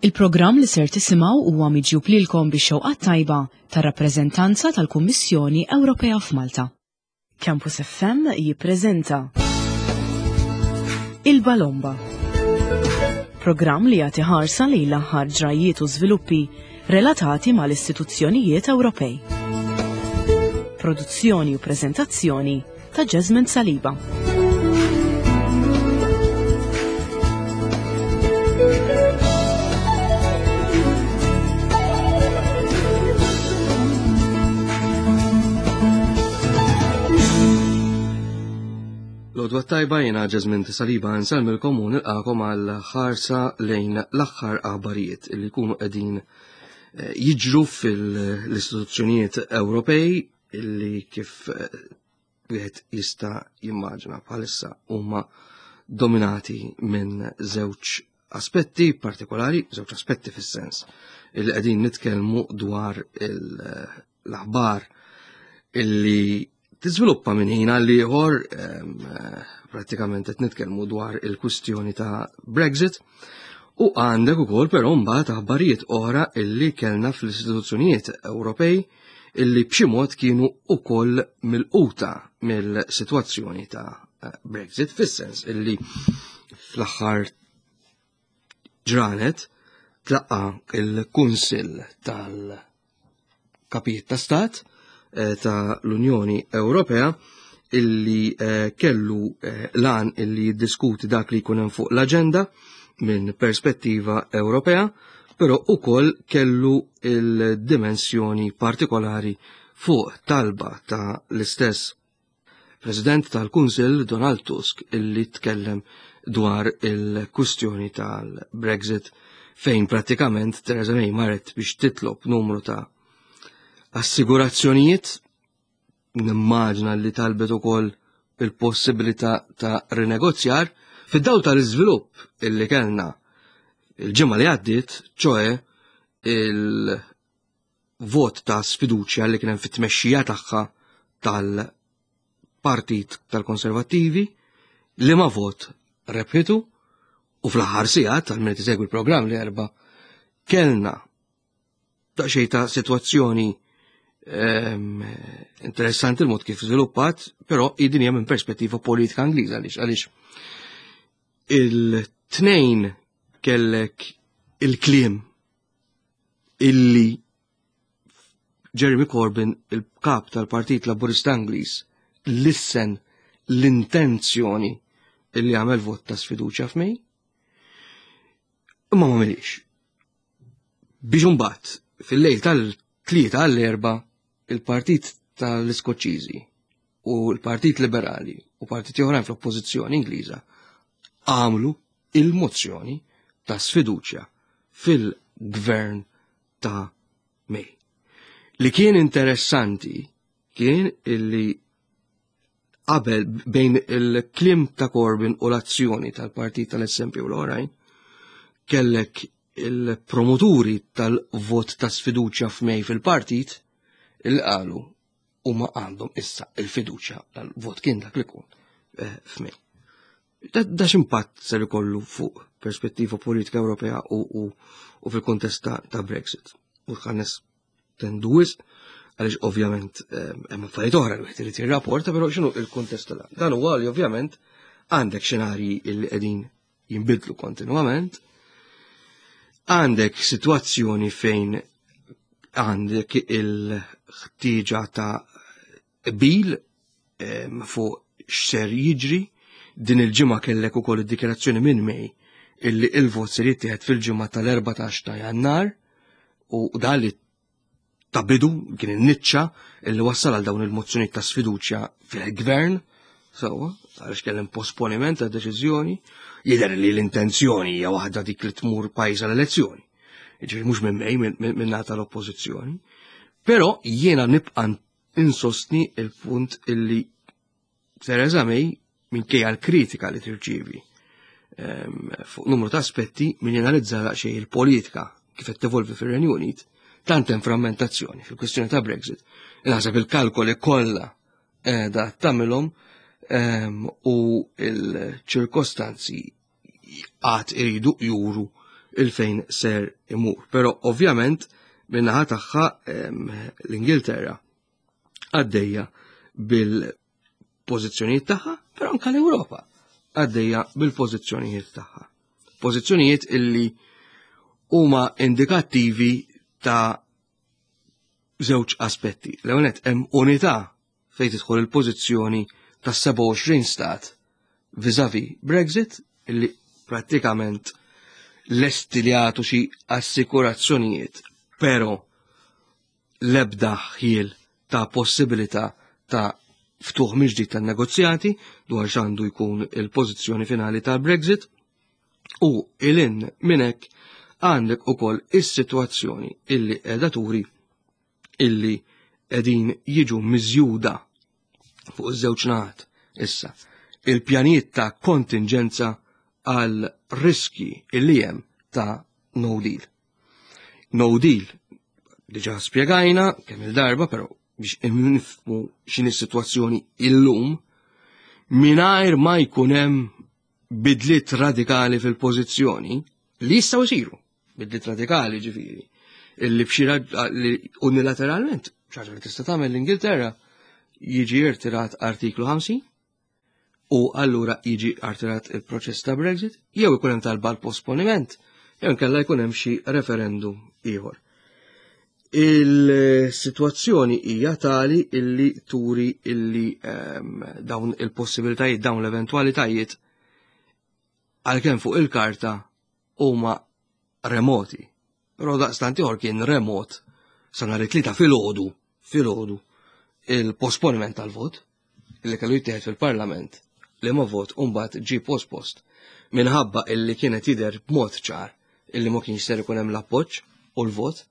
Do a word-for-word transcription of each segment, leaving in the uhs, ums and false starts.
Il-programm li ser tisimgħu huwa miġjub lilkom bix-xewqa tajba tar-rappreżentanza tal-Kummissjoni Ewropea f'Malta. Campus F M jippreżenta Il-Balomba. Programm li jagħti ħarsa lejn l-aħħar ġrajiet u żviluppi relatati mal-istituzzjonijiet Ewropej. Produzzjoni u preżentazzjoni ta' Jasmine Saliba. L-għodwa t-tajba, jiena Jasmine Saliba, nsellmilkom u nilqagħkom għal ħarsa lejn l-aħħar aħbarijiet li jkunu qegħdin eh, jiġru fil-istituzzjonijiet Ewropej, illi kif eh, wieħed jista' jimmaġina bħalissa huma dominati minn żewġ aspetti partikolari, żewġ aspetti fis-sens illi qegħdin nitkellmu dwar l-aħbar illi tiżviluppa minn ħin għal ieħor. Prattikament qed nitkellmu dwar il-kwistjoni ta' Brexit u għandek ukoll però mbagħad aħbarijiet oħra illi kellna fl-istituzzjonijiet Ewropej illi b'xi mod kienu ukoll milquta mill-sitwazzjoni ta' Brexit, fis-sens illi fl-aħħar ġranet tlaqqa il-Kunsill tal-Kapijiet ta' Stat eh, ta' l-Unjoni Ewropea, illi eh, kellu eh, lan illi jiddiskuti dak li jkun hemm fuq l-aġenda minn perspettiva Ewropea, però ukoll kellu il-dimensjoni partikolari fuq talba ta' l-istess President tal-Kunsill Donald Tusk, illi tkellem dwar il-kwistjoni tal-Brexit, fejn prattikament Theresa May marret biex titlob numru ta' assigurazzjonijiet. Nimmaġna li talbet ukoll il-possibilità ta' rinegozjar fid-dawl tal-iżvilupp illi kellna il-ġimgħa li għaddiet, ċoè il-vot ta' sfiduċja li kien hemm fit-tmexxija tagħha tal-Partit tal-Konservattivi, li ma vot rebħitu, u fl-aħħar sigħat tal-min isegwi l-programm li erba' kellna daqsxejn ta' sitwazzjoni ehm, interessanti il-mod kif żviluppat, però din hija minn perspettiva politika Ingliża. Għaliex għaliex il-tnejn kellek il-kliem illi Jeremy Corbyn, il-kap tal-Partit Laburista Ingliż, lissen l-intenzjoni illi għamel vot ta' sfiduċja f'May, imma ma għamilhiex. Biex imbagħad fil-lejl tal-tlieta għall-erba' il-Partit tal-Iskoċċiżi u l-Partit Liberali u partiti oħrajn fl-Oppożizzjoni Ingliża għamlu il-mozzjoni ta' sfiduċja fil-gvern ta' May. Li kien interessanti kien illi qabel, bejn il-kliem ta' Corbyn u l-azzjoni tal-partit tal-S N P u l-oħrajn, kellek il-promoturi tal-vot ta' sfiduċja f'May fil-partit il qalu huma għandhom issa il-fiduċja tal-vot kien dak li kun eh, f'May. Da, da x'impatt ser ikollu fuq perspettiva politika Ewropea u, u, u fil-kontest ta', ta' Brexit? U ħanes tendu wisq, għaliex ovvjament eh, hemm affarijiet oħra li wieħed irid jirrapporta, però x'inhu il-kuntest tal dan huwa li ovvjament għandek xenarji li qegħdin jinbidlu kontinwament, għandek sitwazzjoni fejn għandek il-ħtieġa ta' qbil em, fuq x'ser jiġri. Din il-ġimgħa kellek ukoll id-dikjarazzjoni minn May illi il-vot ser jittieħed fil-ġimgħa tal-erbatax ta' Jannar, u dan li ta' bidu kien in-niċċa illi wassal għal dawn il-mozzjoni ta' sfiduċja fil-gvern, sewwa, għaliex kellem posponiment ta' deċiżjoni. Jidher li l-intenzjoni hija waħda dik li tmur pajjiż għal elezzjoni. Jiġifieri mhux minn May, minn nata l-oppożizzjoni. Però jiena nibqa' insostni il-punt illi Theresa May, minkejja l-kritika li tirċievi ehm, fuq numru ta' aspetti, min janalizza daqsxejn il-politika kif qed tevolvi fir-Renju Unit, tant hemm frammentazzjoni fil-kwestjoni ta' Brexit. Naħseb il-kalkoli kollha qiegħda tagħmilhom ehm, u il-ċirkostanzi għad iridu juru il-fejn ser imur. Però ovvjament min-naħa tagħha l-Ingilterra għaddejja bil-pożizzjonijiet tagħha, però anke l-Ewropa għaddejja bil-pożizzjonijiet tagħha. Pożizzjonijiet illi huma indikattivi ta' żewġ aspetti. L-ewwel hemm unità fejn tidħol il-pożizzjoni ta' sebgħa u għoxrin stat vis-a-vis Brexit, illi prattikament lesti li għatu xi assikurazzjonijiet, però lebda ħjiel ta' possibilità ta' ftuħ mill-ġdid tan-negozjati dwar x'għandu jkun il-pożizzjoni finali tal-Brexit. U ilin minn hekk għandek ukoll is-sitwazzjoni illi qiegħda turi illi qegħdin jiġu miżjuda fuq iż-żewġ naħat issa il-pjanijiet ta' kontingenza għal riski illi hemm ta' no deal. No deal diġà spjegajna kemm il-darba, però biex nifhmu x'inhi s-sitwazzjoni illum, mingħajr ma jkun hemm bidliet radikali fil-pożizzjoni li jistgħu jsiru, bidliet radikali ġifieri, illi b'xi li unilateralment, ħaġa li tista' tagħmel l-Ingilterra, jiġi irtirat artiklu ħamsin u allura jiġi irtirat il-proċess ta' Brexit, jew ikun hemm talba l-posponiment, jew inkella jkun hemm xi referendum ieħor. Il-sitwazzjoni hija tali illi turi illi um, dawn il-possibilitajiet, dawn l-eventwalitajiet, għalkemm fuq il-karta huma remoti. Però daqstant ieħor kien remot sa nhar it-Tlieta filgħodu, filgħodu, il-posponiment tal-vot illi kellu jittieħed fil-Parlament, li ma vot mbagħad ġie pospost minħabba illi kienet jidher b'mod ċar illi ma kienx ser ikun hemm l-appoġġ u l-vot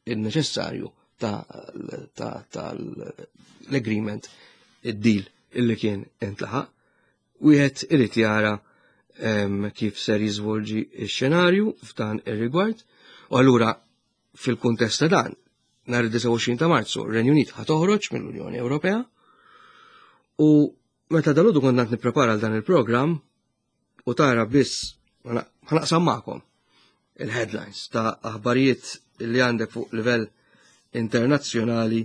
il-neċessarju tal-agreement, id-deal illi kien intlaħaq. Wieħed irid jara kif ser jiżvolġi x-xenarju f'dan ir-rigward. U allura fil-kuntest ta' dan, nhar id-disgħa u għoxrin ta' Marzu, r-Renju Unit ħa toħroġ mill-Unjoni Ewropea. U meta dalgħodu kont nipprepara għal dan il-programm u tara biss, ħa naqsam magħkom il-headlines ta' aħbarijiet li għandek fuq livell internazzjonali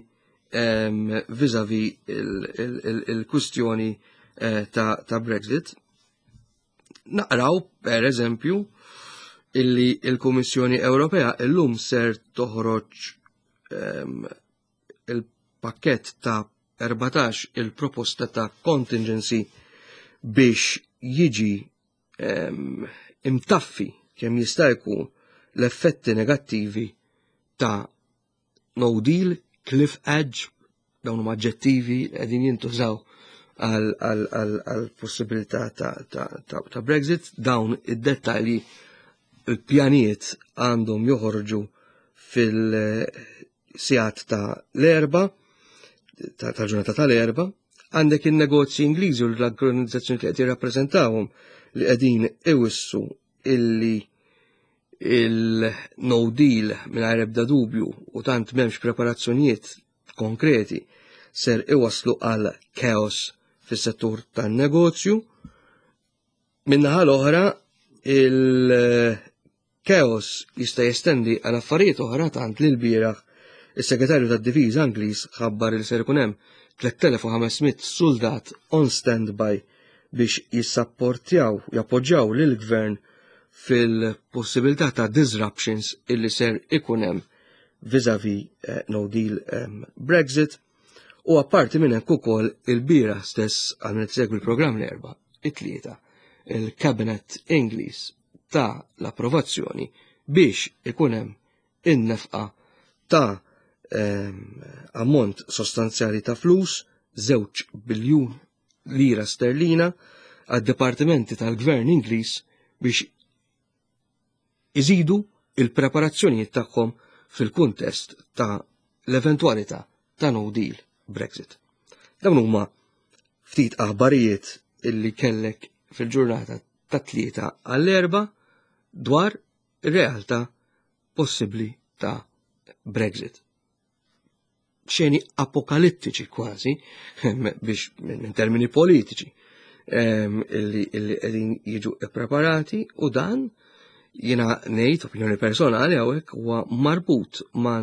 vis-a-vis il-kustjoni eh, ta' Brexit. Naqraw, per eżempju, illi il-Kummissjoni Ewropea illum ser toħroġ il-pakket ta' erbatax il-proposta ta' contingency biex jiġi imtaffi kemm jista' jkun l-effetti negattivi ta' no deal, cliff edge, dawn huma aġġettivi li qegħdin jintużaw għal possibilità ta', ta, ta, ta Brexit. Dawn id-dettalji, il-pjanijiet għandhom joħorġu fil-sigħat ta' l-Erbgħa, tal-ġurnata tal-Erbgħa. Għandek il-negozji Ingliżi u l-organizzazzjoni li qed jirrappreżentawhom li qegħdin iwissu illi il-no deal mingħajr ebda dubju u tant m'hemmx preparazzjonijiet konkreti ser iwaslu għal chaos fis-settur tan-negozju. Min-naħa l-oħra, il-chaos jista' jestendi għal affarijiet oħra, tant li l-bieraħ is-Segretarju tad-Difiża Ingliż ħabbar li ser ikun hemm tliet elef u ħames mitt soldat on standby biex jissapportjaw, jappoġġjaw lill-gvern fil-possibilità ta' disruptions illi ser ikun hemm vis-a-vis eh, no deal um, Brexit. U apparti minn hekk ukoll il-bieraħ stess, għal min segwi l-programm l-Erbgħa, it-Tlieta, il-Cabinet Ingliż ta l-approvazzjoni biex ikun hemm in-nefqa ta' ammont sostanzjali ta' flus, żewġ biljun lira sterlina, għad-dipartimenti tal-Gvern Ingliż biex iżidu il-preparazzjonijiet tagħhom fil-kuntest ta' l-eventualità ta' no deal Brexit. Dawn huma ftit aħbarijiet illi kellek fil-ġurnata ta' Tlieta għall-Erbgħa dwar ir-realtà possibbli ta' Brexit. Xeni apokalittiċi kważi, biex minn termini politiċi, illi qegħdin jiġu preparati, u dan Jiena ngħid opinjoni personali hawnhekk huwa marbut ma'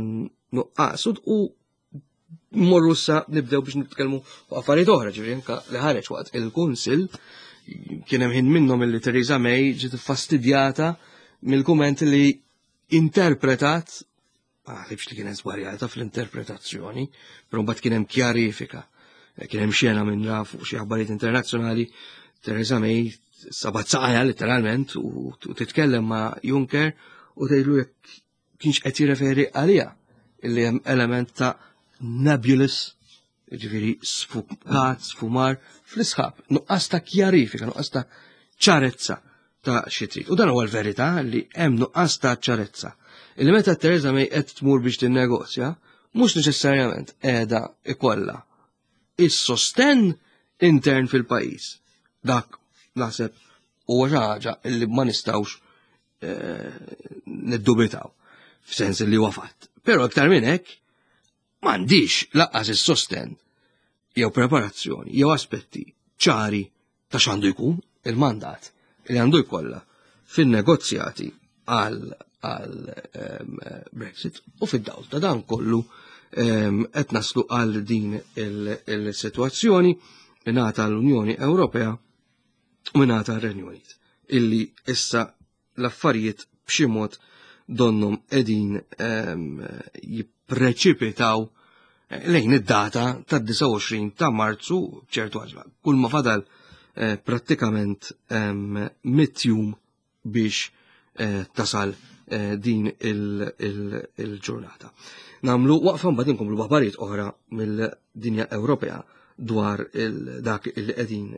nuqqas u morru sa nibdew biex nitkellmu fuq affarijiet oħra, ġifieri anke li ħareġ waqt il-Kunsill kien hemm ħin minnhom illi Theresa May ġiet iffastidjata mill-kumment li interpretat, ma naħsibx li kienet żbarjata fl-interpretazzjoni, però mbagħad kien hemm kjarifika. Kien hemm xena minn fuq xi aħbarijiet internazzjonali, Theresa May sabat saqajha letteralment u titkellem ma' Juncker u tgħidlu jekk kienx qed jirreferi għaliha illi hemm element ta' nebulous, ġifieri sfukat, sfumar fl-isħab, nuqqas ta' kjarifika, nuqqas ta' ċarezza ta' xi trid. U dan huwa l-verità li hemm nuqqas ta' ċarezza. Illi meta Theresa May qed tmur biex tinnegozja, mhux neċessarjament qiegħda ikollha is-sostenn intern fil-pajjiż. Dak naħseb huwa xi ħaġa illi ma nistgħux eh, niddubitaw f'sens li huwa fatt. Però iktar minn hekk m'għandix lanqas is-sostenn jew preparazzjoni jew aspetti ċari ta' x'għandu jkun il-mandat li għandu jkollha fin-negozjati għal għal ehm, Brexit u fid-dawl ta' dan kollu ehm, qed naslu għal din il-sitwazzjoni mingħata l-Unjoni Ewropea u mingħata r-Renju Unit illi issa l-affarijiet b'xi mod donnhom qegħdin ehm, jippreċipitaw lejn id-data tad-disgħa u għoxrin ta' Marzu b'ċertu għaġla. Kull ma fadal eh, prattikament ehm, mitt jum biex eh, tasal eh, din il-ġurnata. Namlu waqfa mbagħad inkomplu b'aħbarijiet oħra mill-dinja Ewropea dwar dak il qegħdin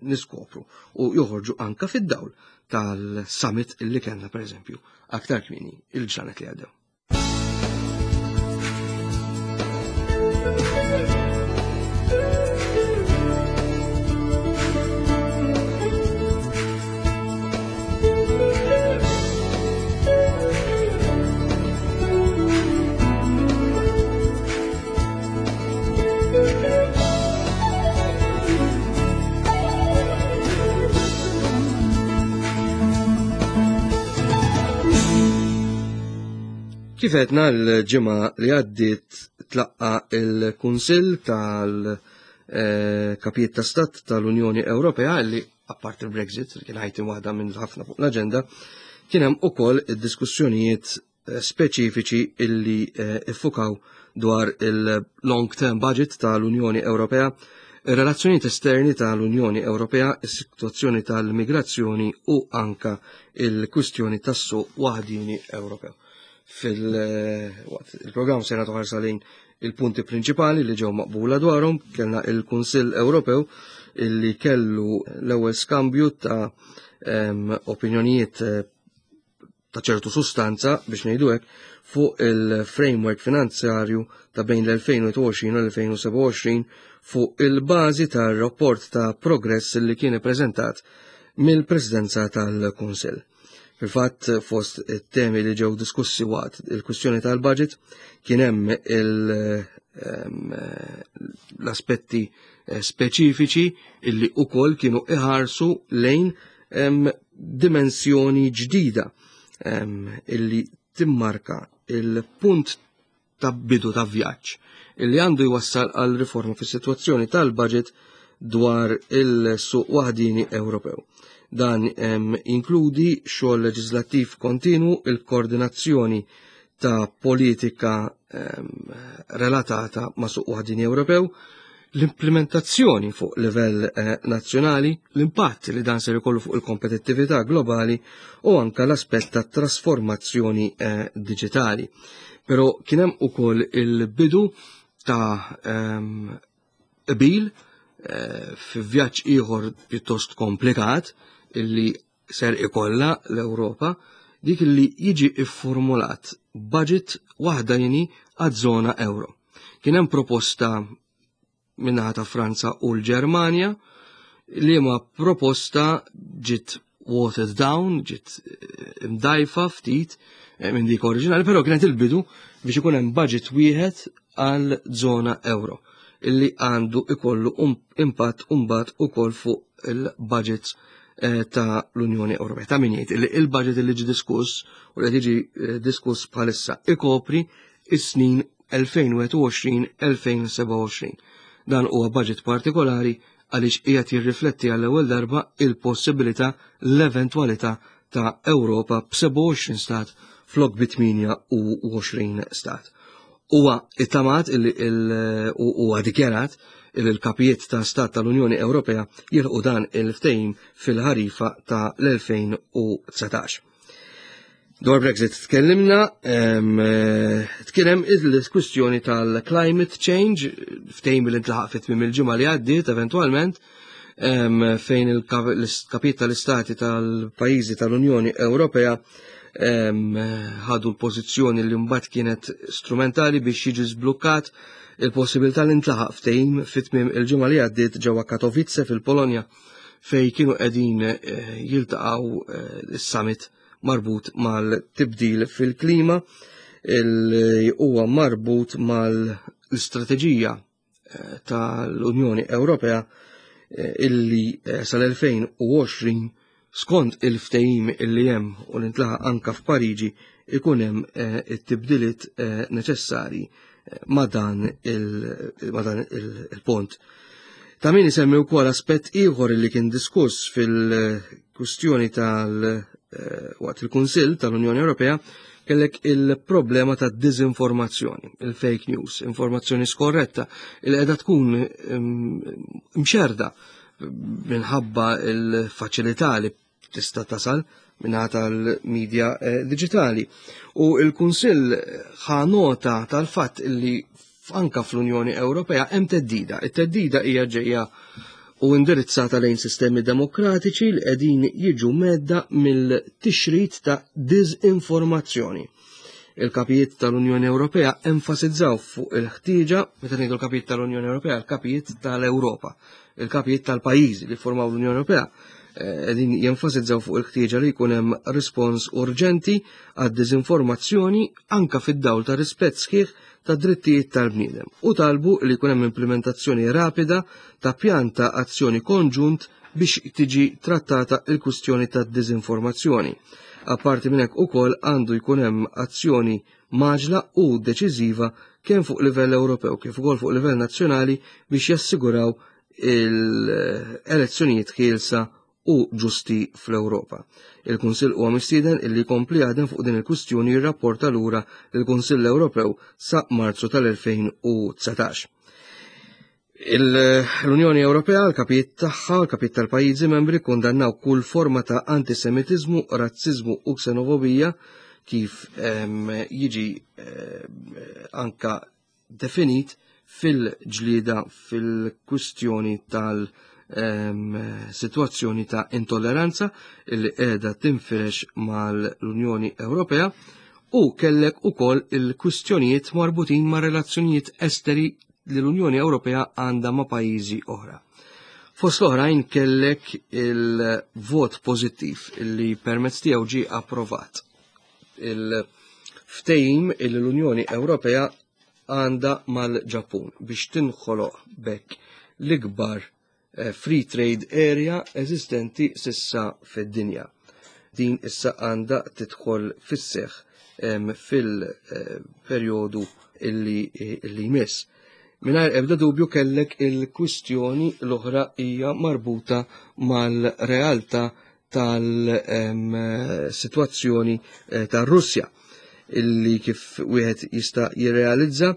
niskopru u joħorġu anka fid-dawl tal-summit illi kellna pereżempju aktar kmieni il-ġranet li għaddew. Kif għedna l-ġimgħa li għaddiet tlaqqa il-Kunsill tal-Kapijiet ta' Stat tal-Unjoni Ewropea li apart il-Brexit, li kien ħajti waħda minn ħafna fuq l-aġenda, kien hemm ukoll id-diskussjonijiet speċifiċi illi iffukaw dwar il-long term budget tal-Unjoni Ewropea, ir-relazzjonijiet esterni tal-Unjoni Ewropea, is-sitwazzjoni tal-migrazzjoni u anka il-kwistjoni tas-suq waħdini Ewropew. Fil-programm se nagħtu ħarsa lejn il-punti prinċipali li ġew maqbula dwarhom, kellna il-Kunsill Ewropew illi kellu l-ewwel skambju ta' opinjonijiet ta' ċertu sustanza biex ngħidu hekk fuq il-framework finanzjarju ta' bejn l-elfejn u għoxrin u l-elfejn u sebgħa u għoxrin fuq il-bażi tar-rapport ta' progress li kien ippreżentat mill-Presidenza tal-Kunsill. Fil-fatt, fost it-temi li ġew diskussi waqt il-kwistjoni tal-budget, kien hemm l-aspetti speċifiċi illi ukoll kienu iħarsu lejn dimensjoni ġdida illi timmarka il-punt ta' bidu ta' vjaġġ illi għandu jwassal għal riforma fis-sitwazzjoni tal-budget dwar il-suq waħdini Ewropew. Dan inkludi xogħol leġislattiv kontinu, il-koordinazzjoni ta' politika relatata ma' suq waħdini Ewropew, l-implementazzjoni fuq livell eh, nazzjonali, l-impatt li dan ser ikollu fuq il-kompetittività globali u anka l-aspett ta' trasformazzjoni eh, digitali. Però kien hemm ukoll il-bidu ta' qbil eh, fi vjaġġ ieħor pjuttost komplikat illi ser ikollha l-Ewropa, dik li jiġi ifformulat budget waħdani għaż-żona euro. Kien hemm proposta min-naħa ta' Franza u l-Ġermanja li ma proposta ġiet watered down, ġiet imdajfa ftit minn dik oriġinali, però kienet il-bidu biex ikun hemm budget wieħed għal żona euro illi għandu ikollu impatt imbagħad ukoll fuq il-budgets eh, ta' l-Unjoni Ewropea. Ta' min jgħid li il-budget li ġi diskuss u li jiġi eh, diskuss bħalissa ikopri is-snin elfejn u wieħed u għoxrin elfejn u sebgħa u għoxrin. Dan huwa budget partikolari għaliex qiegħed jirrifletti għall-ewwel darba il-possibilità, l-eventwalità ta' Ewropa b'sebgħa u għoxrin stat flok bi tmienja u għoxrin stat. Huwa ittamat illi huwa dikjarat illi l-kapijiet ta' stat tal-Unjoni Ewropea jilħqu dan il-ftehim fil-ħarifa ta' l-elfejn u dsatax. Dwar Brexit tkellimna, tkellem il-kwistjoni tal-climate change, ftehim li ntlaħaq fit tmiem il-ġimgħa li għaddiet eventwalment, fejn il-kapijiet tal-istati tal-pajjiżi tal-Unjoni Ewropea ħadu l-pożizzjoni li mbagħad kienet strumentali biex jiġi żblukkat il-possibilità li ntlaħaq ftehim fit tmiem il-ġimgħa li għaddiet ġewwa Katowice fil-Polonja, fej kienu qegħdin eh, jiltaqgħu eh, is-summit marbut mal-tibdil fil-klima, il huwa marbut mal-istrateġija eh, tal-Unjoni Ewropea eh, illi eh, sal-elfejn u għoxrin, skont il-ftehim illi hemm u li ntlaħaq anka f'Pariġi, ikun hemm it-tibdiliet neċessari ma' dan il-pont. Ta' min isemmi wkoll aspett ieħor li kien diskuss fil-kwistjoni tal- Eh, waqt il-Kunsill tal-Unjoni Ewropea: kellek il-problema ta' dizinformazzjoni, il-fake news, informazzjoni skorretta, il qiegħda tkun mxerda minħabba il-faċilità li tista' tasal minna tal-medja eh, digitali. U il-Kunsill ħa nota tal-fatt li anka fl-Unjoni Ewropea hemm theddida. It-theddida hija ġejja u indirizzata lejn sistemi demokratiċi li qegħdin jiġu mhedda mill-tixrid ta' dizinformazzjoni. Il-kapijiet tal-Unjoni Ewropea enfasizzaw fuq il-ħtieġa, meta ngħidu l-kapijiet tal-Unjoni Ewropea, il-kapijiet tal-Ewropa, il-kapijiet tal-pajjiżi li formaw l-Unjoni Ewropea, eh, qegħdin jenfasizzaw fuq il-ħtieġa li jkun hemm rispons urġenti għad-dizinformazzjoni, anka fid-dawl ta' rispett sħiħ ta' drittijiet tal-bniedem, u talbu li jkun hemm implementazzjoni rapida ta' pjan ta' azzjoni konġunt biex tiġi trattata il-kwistjoni ta' dizinformazzjoni. Apparti minn hekk, ukoll għandu jkun hemm azzjoni mgħaġġla u deċiżiva kemm fuq livell Ewropew kif ukoll fuq livell nazzjonali biex jassiguraw il-elezzjonijiet ħielsa u ġusti fl-Ewropa. Il-Kunsill huwa mistieden illi jkompli jaħdem fuq din il-kwistjoni, jirrapporta lura il-Kunsill Ewropew sa Marzu tal-elfejn u dsatax. L-Unjoni Ewropea, l-kapijiet tagħha, l-kapijiet tal-pajjiżi membri, kondannaw kull forma ta' antisemitizmu, razzizmu u ksenofobija, kif jiġi anka definit fil-ġlida fil-kwistjoni tal- situazzjoni ta' intolleranza illi qiegħda tinfirex mal-Unjoni Ewropea. U kellek ukoll il-kwistjonijiet marbutin ma' relazzjonijiet esteri li l-Unjoni Ewropea għandha ma' pajjiżi oħra. Fost l-oħrajn kellek il-vot pożittiv illi permezz tiegħu ġie approvat il-ftehim illi l-Unjoni Ewropea għandha mal-Ġappun biex tinħoloq bekk l-ikbar eh, free trade area eżistenti s'issa fid-dinja. Din issa għandha tidħol fis-seħ fil-perjodu illi, illi jmiss. Mingħajr ebda dubju kellek il-kwistjoni l-oħra hija marbuta mal-realtà tal-situazzjoni eh, tar-Russja, illi kif wieħed jista' jirrealizza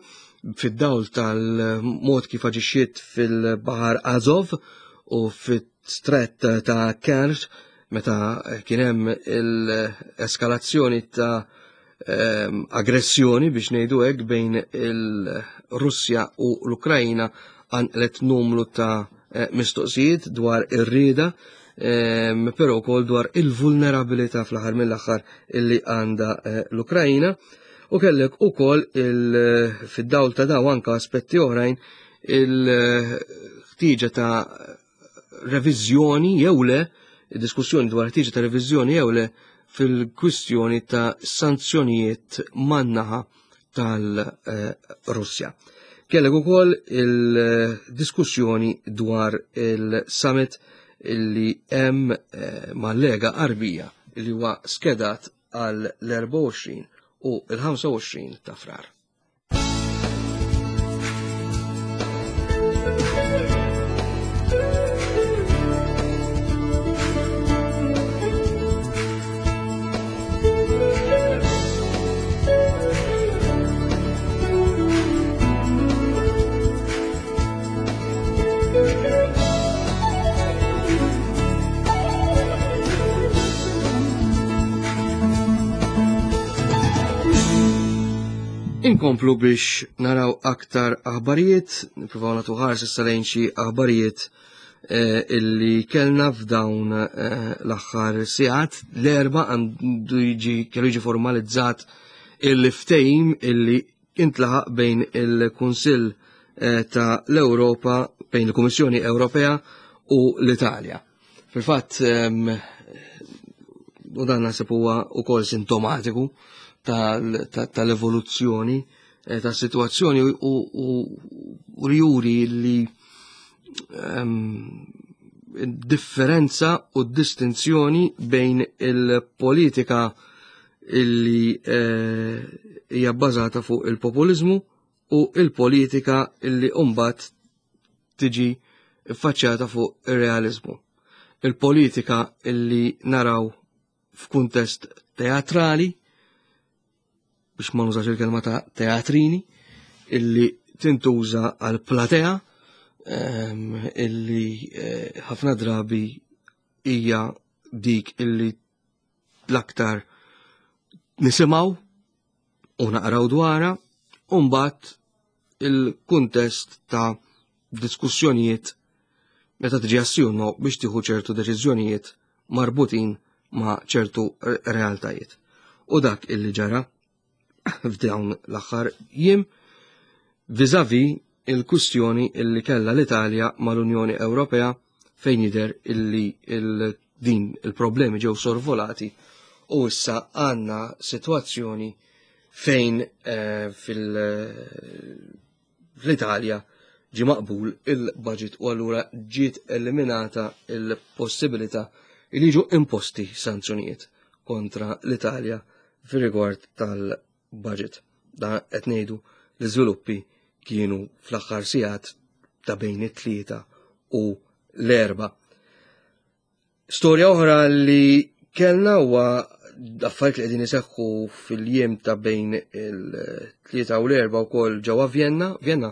fid-dawl tal-mod kif aġixxiet fil-Baħar Azov u fit-Stret ta' Kerch meta kien hemm l-eskalazzjoni ta' aggressjoni, biex ngħidu hekk, bejn il-Russja u l-Ukrajna, qanqlet numru ta' eh, mistoqsijiet dwar ir-rieda, però wkoll dwar il-vulnerabilità fl-aħħar mill-aħħar illi għandha eh, l-Ukrajna. U kellek ukoll fid-dawl ta' daw anka aspetti oħrajn il-ħtieġa ta' reviżjoni jew le, diskussjoni dwar ħtieġa ta' reviżjoni jew le fil-kwistjoni ta' sanzjonijiet man-naħa tal-Russja. Kellek ukoll il-diskussjoni dwar il-summit illi hemm eh, mal-Lega Għarbija illi huwa skedat għal l-erbgħa u għoxrin u l-ħamsa u għoxrin ta' Frar. Inkomplu biex naraw aktar aħbarijiet, nippruvaw nagħtu ħarsa issa lejn xi aħbarijiet, eh, illi kellna f'dawn, eh, l-aħħar sigħat. L-Erbgħa għandu jiġi, kellu jiġi formalizzat il-ftehim illi intlaħaq bejn il-Kunsill, eh, ta' l-Ewropa, bejn il-Kummissjoni Ewropea u l-Italja. Fil-fatt, ehm, u dan naħseb huwa wkoll sintomatiku tal-, ta-, tal-evoluzzjoni, eh, tas-sitwazzjoni u, u, u juri li, ehm, differenza u distinzjoni bejn il-politika illi, eh, hija bbażata fuq il-populizmu u il-politika illi mbagħad tiġi ffaċċjata fuq ir-realizmu. Il-politika illi naraw f'kuntest teatrali, biex ma nużax il-kelma ta' teatrini, illi tintuża għal platea, ehm, illi, eh, ħafna drabi hija dik illi l-aktar nisimgħu u naqraw dwarha, u mbagħad il-kuntest ta' diskussjonijiet meta tiġi assjonnu biex tieħu ċertu deċiżjonijiet marbutin ma' ċertu realtajiet. U dak illi ġara f'dawn l-aħħar jiem vis-à-vis il-kwistjoni illi kellha l-Italja mal-Unjoni Ewropea, fejn jidher illi il-, din il-problemi ġew sorvolati u issa għandna sitwazzjoni fejn, eh, fil-, fl-Italja ġie maqbul il-budget u allura ġiet eliminata il-possibilità li jiġu imposti sanzjonijiet kontra l-Italja fir-rigward tal-budget. Da qed ngħidu l-iżviluppi kienu fl-aħħar sigħat ta' bejn it-tlieta u l-erba'. Storja oħra li kellna huwa affarijiet li qegħdin iseħħu fil-jiem ta' bejn il-tlieta u l-erba' wkoll ġewwa Vienna, Vienna,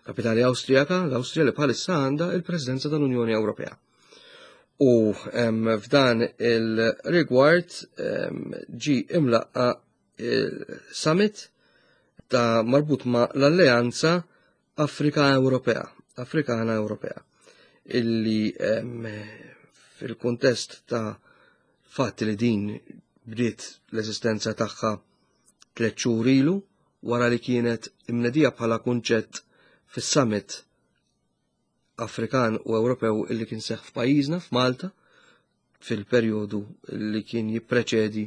kapitali Awstrijaka, l-Awstrija li bħalissa għandha il-Presidenza tal-Unjoni Ewropea. U, em, f'dan il-rigward, em, ġi imlaqqa il-summit ta' marbut ma' l-Alleanza Afrika Ewropea, Afrikana Ewropea, illi, em, fil-kuntest ta' fatt li din bdiet l-eżistenza tagħha tliet xhur ilu wara li kienet imnedija bħala kunċett fis-summit Afrikan u Ewropew illi kien seħħ f'pajjiżna, f'Malta, fil-perjodu li kien jippreċedi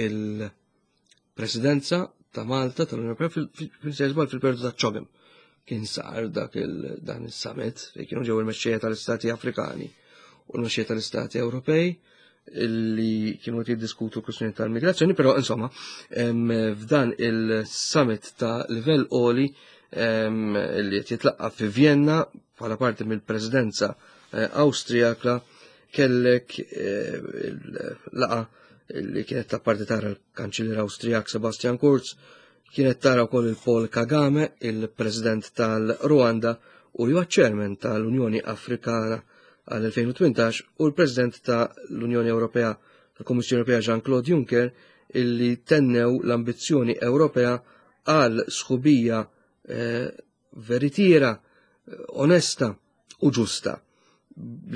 il-presidenza ta' Malta tal-Unjoni Ewropea fil-, fil-, fil-, fil-perjodu ta' CHOGM. Kien sar dak il-, dan is-summit fejn kienu ġew il-mexxejja tal-Istati Afrikani u l-mexxejja tal-Istati Ewropej illi kienu qed jiddiskutu kwistjoni tal-migrazzjoni, però insomma, em, f'dan il-summit ta' livell għoli, em, li qed jitlaqqa fi Vienna bħala parti mill-presidenza, eh, Awstrijaka, kellek, eh, il-laqa li kienet ta' parti tara l-kanċillier Awstrijak Sebastian Kurz, kienet tara wkoll il-Paul Kagame, il-President tal-Rwanda u li huwa chairman tal-Unjoni Afrikana għal elfejn u tmintax, u l-President tal-Unjoni Ewropea, tal-Kummissjoni Ewropea Jean-Claude Juncker, illi tennew l-ambizzjoni Ewropea għal sħubija, eh, veritiera, onesta u ġusta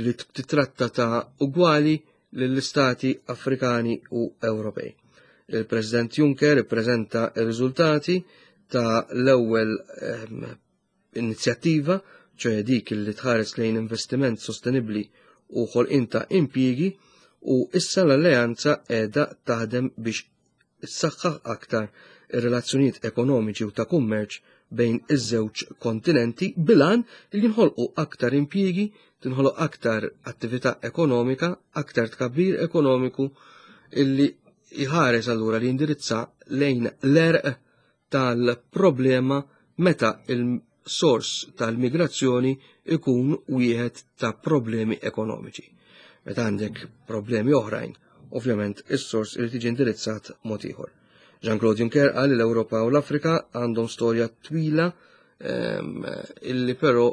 li titratta ta' ugwali lill-istati Afrikani u Ewropej. Il-President Juncker ippreżenta r-riżultati ta' l-ewwel, ehm, inizjattiva, ċoħe dik li tħares lejn investiment sostenibli u ħolqien ta' impjiegi, u issa l-alleanza qiegħda taħdem biex issaħħaħ aktar ir-relazzjonijiet ekonomiċi u ta' kummerċ bejn iż-żewġ kontinenti bil-għan li jinħolqu aktar impjiegi, tinħoloq aktar attività ekonomika, aktar tkabbir ekonomiku illi jħares allura li jindirizza lejn l-għerq tal-problema meta il-sors tal-migrazzjoni ikun wieħed ta' problemi ekonomiċi. Meta għandek problemi oħrajn, ovvjament is-sors irid jiġi indirizzat mod ieħor. Jean-Claude Juncker qal li l-Ewropa u l-Afrika għandhom storja twila ehm, illi però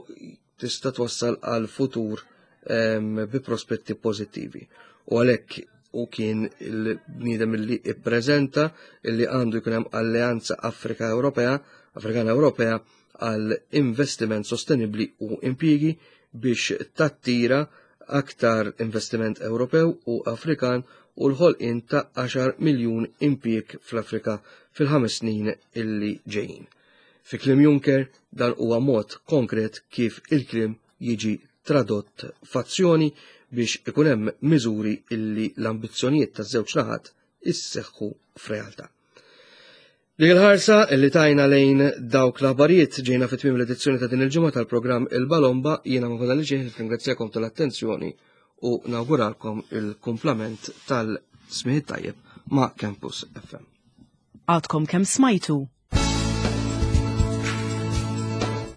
tista' twassal għal futur ehm, bi prospetti pożittivi. U għalhekk u kien il-bniedem illi ippreżenta illi għandu jkun hemm alleanza Afrika Ewropea, Afrikana Ewropea għal investiment sostenibbli u impjiegi biex tattira aktar investiment Ewropew u Afrikan u l-ħolqien ta' għaxar miljun impjieg fl-Afrika fil-ħames snin illi ġejjin. Fi kliem Juncker, dan huwa mod konkret kif il-kliem jiġi tradott f'azzjoni biex ikun hemm miżuri illi l-ambizzjonijiet taż-żewġ naħat isseħħu f'realtà. Dik il-ħarsa illi tajna lejn dawk l-aħbarijiet ġejna fi tmiem l-edizzjoni ta' din il-ġimgħa tal-programm Il-Balomba. Jiena ma fadalli xejn ringrazzjakom tal-attenzjoni u nawguralkom il-kumplament tal-smigħ tajjeb ma' Campus F M. Għadkom kemm smajtu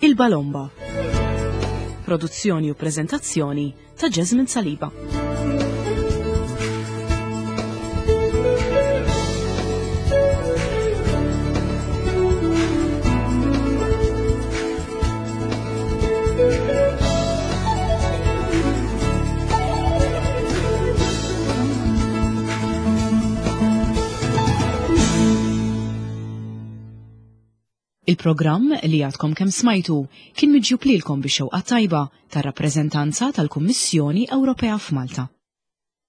Il-Balomba. Produzzjoni u prezentazzjoni ta' Jasmine Saliba. Il-programm li għadkom kemm smajtu kien miġjub lilkom bix-xewqa tajba tar-rappreżentanza tal-Kummissjoni Ewropea f'Malta.